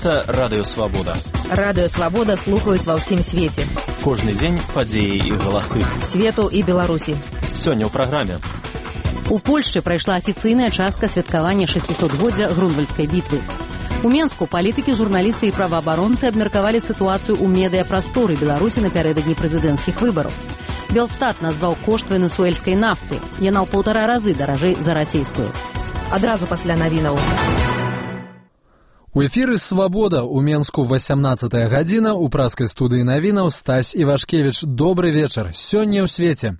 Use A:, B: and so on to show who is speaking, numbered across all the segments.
A: Гэта Радыё Свабода.
B: Радыё Свабода слухаюць ва ўсім свеце.
A: Кожны дзень падзеі і галасы.
B: Свету і Беларусі.
A: Сёння ў праграме.
C: У Польшчы прайшла афіцыйная частка святкавання 600-годдзя Грунвальдскай бітвы. У Менску палітыкі, журналісты і праваабаронцы абмеркавалі сітуацыю ў медыяпрасторы Беларусі напярэдадні прэзідэнцкіх выбараў. Белстат назваў кошт венесуэльскай нафты. Яна ў 1,5 разы даражэй за расійскую.
B: Адразу пасля навінаў.
D: У эфіры «Свабода» у Менску 18-я гадзіна, у праскай студыі навінаў Стась Івашкевіч. Добры вечар. Сёння ў свеце.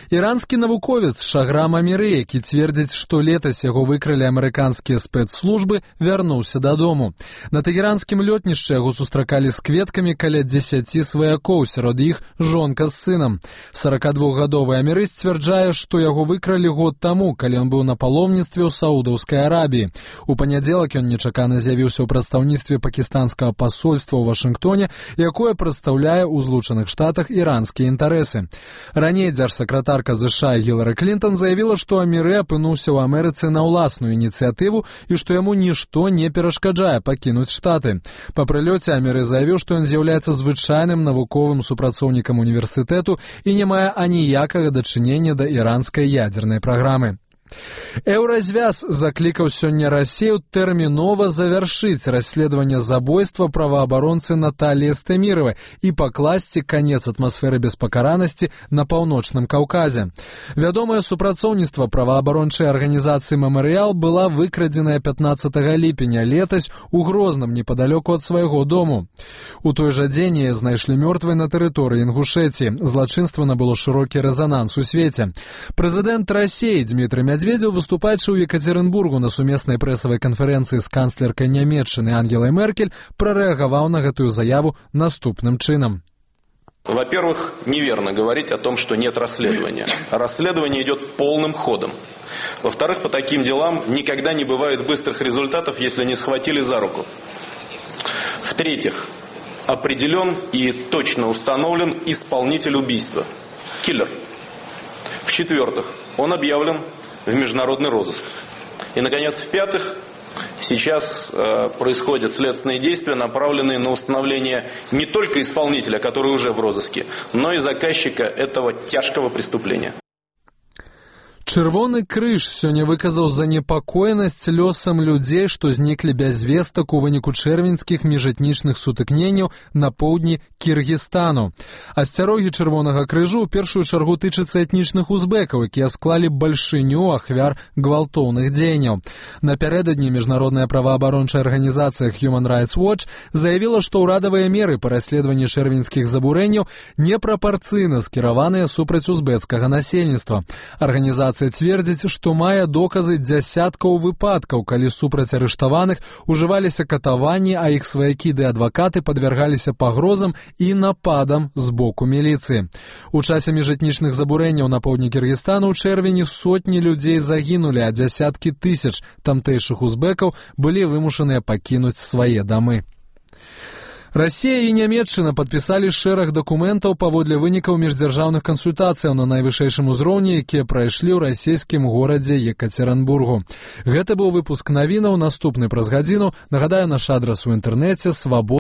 D: Іранскі навуковец Шаграм Аміры, які цвердзіць, што летась яго выкралі амерыканскія спецслужбы, вярнуўся дадому. На тэгеранскім лётнішчы яго сустракалі з кветкамі каля 10 сваякоў, сярод іх жонка з сынам. 42-гадовы Аміры сцвярджае, што яго выкралі год таму, калі ён быў на паломніцтве ў Саудаўскай Арабіі. У панядзелак ён нечакана з'явіўся у прадстаўніцтве пакістанскага пасольства ў Вашынгтоне, якое прадстаўляе ў Злучаных Штатах іранскія інтарэсы. Раней дзяржсакратарка США Гілары Клінтон заявіла, што Аміры апынуўся ў Амерыцы на ўласную ініцыятыву і што яму нішто не перашкаджае пакінуць Штаты. Па прылёце Аміры заявіў, што ён з'яўляецца звычайным навуковым супрацоўнікам універсітэту і не мае аніякага дачынення да іранскай ядзернай праграмы. Еўразвяз заклікаў сёння Расію тэрмінова завяршыць расследаванне забойства праваабаронцы Наталіі Стэміравай і пакласці канец атмасферы беспакаранасці на паўночным Каўказе. Вядомае супрацоўніцтва праваабарончай арганізацыі «Мемарыял» была выкрадзеная 15 ліпеня летась у Грозным, непадалёку ад свайго дому. У той жа дзень яе знайшлі мёртвай на тэрыторыі Інгушэціі. Злачынства набыло шырокі рэзананс у свеце. Прэзідэнт Расіі Дмітрый Медведзеў, выступаючы ў Екатеринбургу на сумеснай прэсавай канферэнцыі з канцлеркай Нямецчыны Ангелай Меркель, прарэагаваў на гэтую заяву наступным чынам.
E: Во-первых, неверно говорить о том, что нет расследования. Расследование идет полным ходом. Во-вторых, по таким делам никогда не бывает быстрых результатов, если не схватили за руку. В-третьих, определен и точно установлен исполнитель убийства. Киллер. В-четвертых, он объявлен в международный розыск. И, наконец, в-пятых, сейчас происходят следственные действия, направленные на установление не только исполнителя, который уже в розыске, но и заказчика этого тяжкого преступления.
D: Чырвоны крыж сёння выказаў занепакоенасць лёсам людзей, што зніклі без вестак у выніку чэрвеньскіх міжэтнічных сутыкненняў на поўдні Кіргізстану. Асцярогі чырвонага крыжу ў першую чаргу тычацца этнічных узбекаў, якія склалі бальшыню ахвяр гвалтоўных дзеянняў. Напярэдадні міжнародная праваабарончая арганізацыя Human Rights Watch заявіла, што ўрадавыя меры па расследаванні чэрвеньскіх забурэнняў непрапарцыйна скіраваныя супраць узбецкага насельніцтва. Арганізацыя цвердзіць, што мае доказы дзясяткаў выпадкаў, калі супраць арыштаваных ужываліся катаванні, а іх сваякі ды адвакаты падвяргаліся пагрозам і нападам з боку міліцыі. У часе міжэтнічных забурэнняў на поўдні Кіргізстану ў чэрвені сотні людзей загінулі, а дзясяткі тысяч тамтэйшых узбекаў былі вымушаныя пакінуць свае дамы. Расія і Нямецчына падпісалі шэраг дакументаў паводле вынікаў міждзяржаўных кансультацыяў на найвышэйшым узроўні, якія прайшлі ў расійскім горадзе Екатеринбургу. Гэта быў выпуск навінаў, наступны праз гадзіну. Нагадаю, наш адрас у інтэрнэце свабода.